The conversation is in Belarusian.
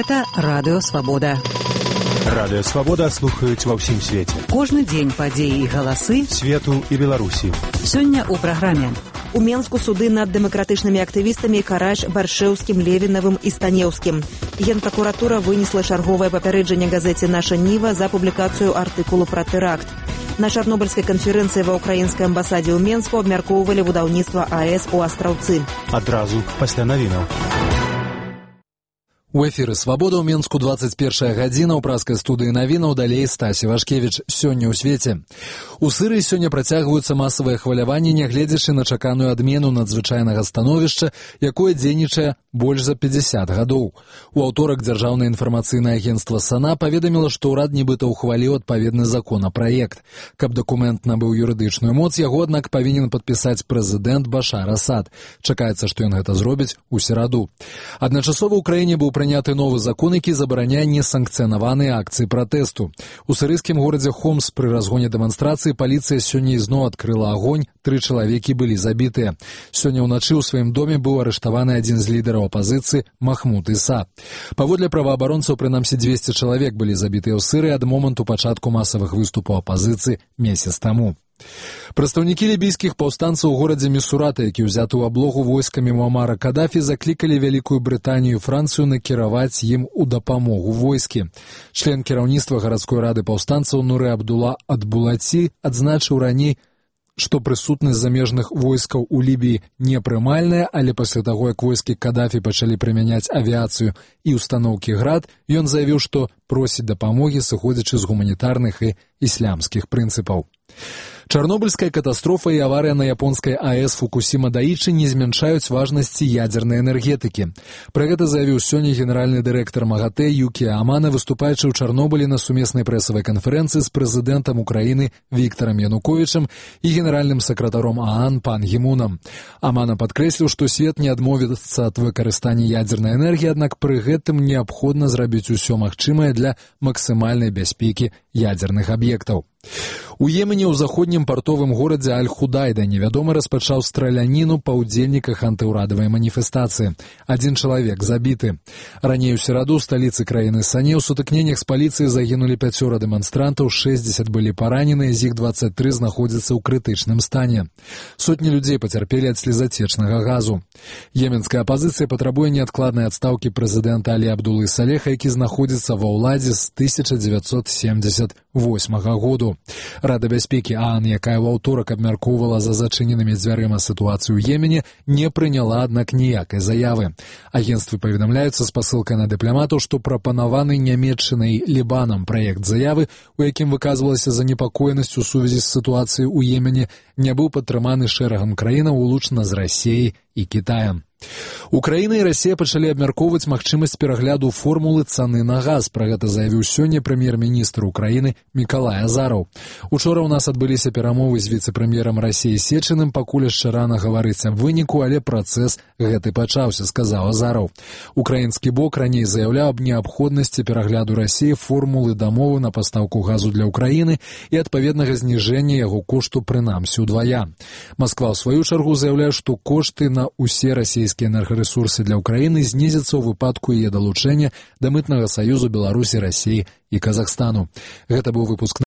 Гэта Радыё Свабода. Радыё Свабода слухаюць ва ўсім свеце. Кожны дзень падзеі і галасы свету і Беларусі. Сёння ў праграме. У Менску суды над дэмакратычнымі актывістамі Караш, Баршэўскім, Левінавым і Станеўскім. Генпракуратура вынесла чарговае папярэджанне газеце «Наша Ніва» за публікацыю артыкулу пра тэракт. На чарнобыльскай канферэнцыі ва ўкраінскай амбасадзе ў Менску абмяркоўвалі будаўніцтва АЭС у Астраўцы. Адразу пасля навінаў. У эфіры «Свабода» ў Менску 21 гадзіна, ў праскай студыі навінаў, далей Стасі Вашкевіч. Сёння ў свеце. У Сырыі сёння працягваюцца масавыя хваляванні, нягледзячы на чаканую адмену надзвычайнага становішча, якое дзейнічае больш за 50 гадоў. У аўторак Дзяржаўнае інфармацыйнае агенцтва САНА паведаміла, што ўрад нібыта ўхваліў адпаведны законапраект. Каб дакумент набыў юрыдычную моц, яго, аднак, павінен падпісаць прэзідэнт Башар Асад. Чакаецца, што ён гэта зробіць у сераду. Адначасова ў краіне быў прыняты новы закон, які забараняе несанкцыянаваныя акцыі пратэсту. У сырыйскім горадзе Хомс пры разгоне дэманстрацыі паліцыя сёння ізноў адкрыла агонь, 3 чалавекі былі забітыя. Сёння ўначы ў сваім доме быў арыштаваны адзін з лідараў апазіцыі Махмуд Іса. Паводле праваабаронцаў, прынамсі 200 чалавек былі забітыя ў Сырыі ад моманту пачатку масавых выступаў апазіцыі месяц таму. Прадстаўнікі лібійскіх паўстанцаў у горадзе Місурата, які ўзяты ў аблогу войскамі Муамара Кадафі, заклікалі Вялікую Брытанію і Францыю накіраваць ім у дапамогу войскі. Член кіраўніцтва гарадской рады паўстанцаў Нурэ Абдула Адбулаці адзначыў раней, што прысутнасць замежных войскаў у Лібіі непрымальная, але пасля таго, як войскі Кадафі пачалі прымяняць авіяцыю і устаноўкі «Град», ён заявіў, што просіць дапамогі, сыходзячы з гуманітарных і іслямскіх прынцыпаў. Чарнобыльская катастрофа і аварыя на японскай АЭС Фукусіма-Даічы не змяншаюць важнасці ядзернай энергетыкі. Пра гэта заявіў сёння генеральны дырэктар МАГАТЭ Юкія Амана, выступаючы ў Чарнобылі на сумеснай прэсавай канферэнцыі з прэзідэнтам Украіны Віктарам Януковічам і генеральным сакратаром ААН пан Гі Мунам. Амана падкрэсліў, што свет не адмовіцца ад выкарыстання ядзернай энергіі, аднак пры гэтым неабходна зрабіць усё магчымае для максімальнай бяспекі ядзерных аб'ектаў. У Йемене ў заходнім партовым горадзе Аль-Худайда невядомы распачаў страляніну па ўдзельніках антыўрадавай маніфестацыі. 1 чалавек забіты. Раней у сераду ў сталіцы краіны Сане ў сутыкненнях з паліцыяй загінулі 5 дэманстрантаў, 60 былі параненыя, з іх 23 знаходзяцца ў крытычным стане. Сотні людзей пацярпелі ад слезацечнага газу. Йеменская апазіцыя патрабуе неадкладнай адстаўкі прэзідэнта Алі Абдулы Салеха, які знаходзіцца ва ўладзе з 1978 году. Рада бяспекі ААН, якая ў аўторак абмяркоўвала за зачыненымі дзвярыма сітуацыю ў Йемене, не прыняла, аднак, ніякай заявы. Агенцтвы паведамляюцца з пасылкай на дыпламатаў, што прапанаваны Нямецчынай Лібанам праект заявы, у якім выказвалася занепакоенасць у сувязі з сітуацыяй у Йемене, не быў падтрыманы шэрагам краінаў, улучна з Расіяй і Кітаем. Украіна і Расія пачалі абмяркоўваць магчымасць перагляду формулы цаны на газ. Пра гэта заявіў сёння прэм'ер-міністр Украіны Мікалай Азараў. Учора ў нас адбыліся перамовы з віцэ-прэм'ерам Расіі Сечыным, пакуль яшчэ рана гаварыць аб выніку, але працэс гэты пачаўся, сказаў Азараў. Украінскі бок раней заяўляў аб неабходнасці перагляду Расіі формулы дамовы на пастаўку газу для Украіны і адпаведнага зніжэння яго кошту прынамсі ўдвая. Масква ў сваю чаргу заяўляе, што кошты на ўсе расійскія энергарэсурсы для Украіны знізяцца ў выпадку яе далучэння да мытнага саюзу Беларусі, Расіі і Казахстану. Гэта быў выпуск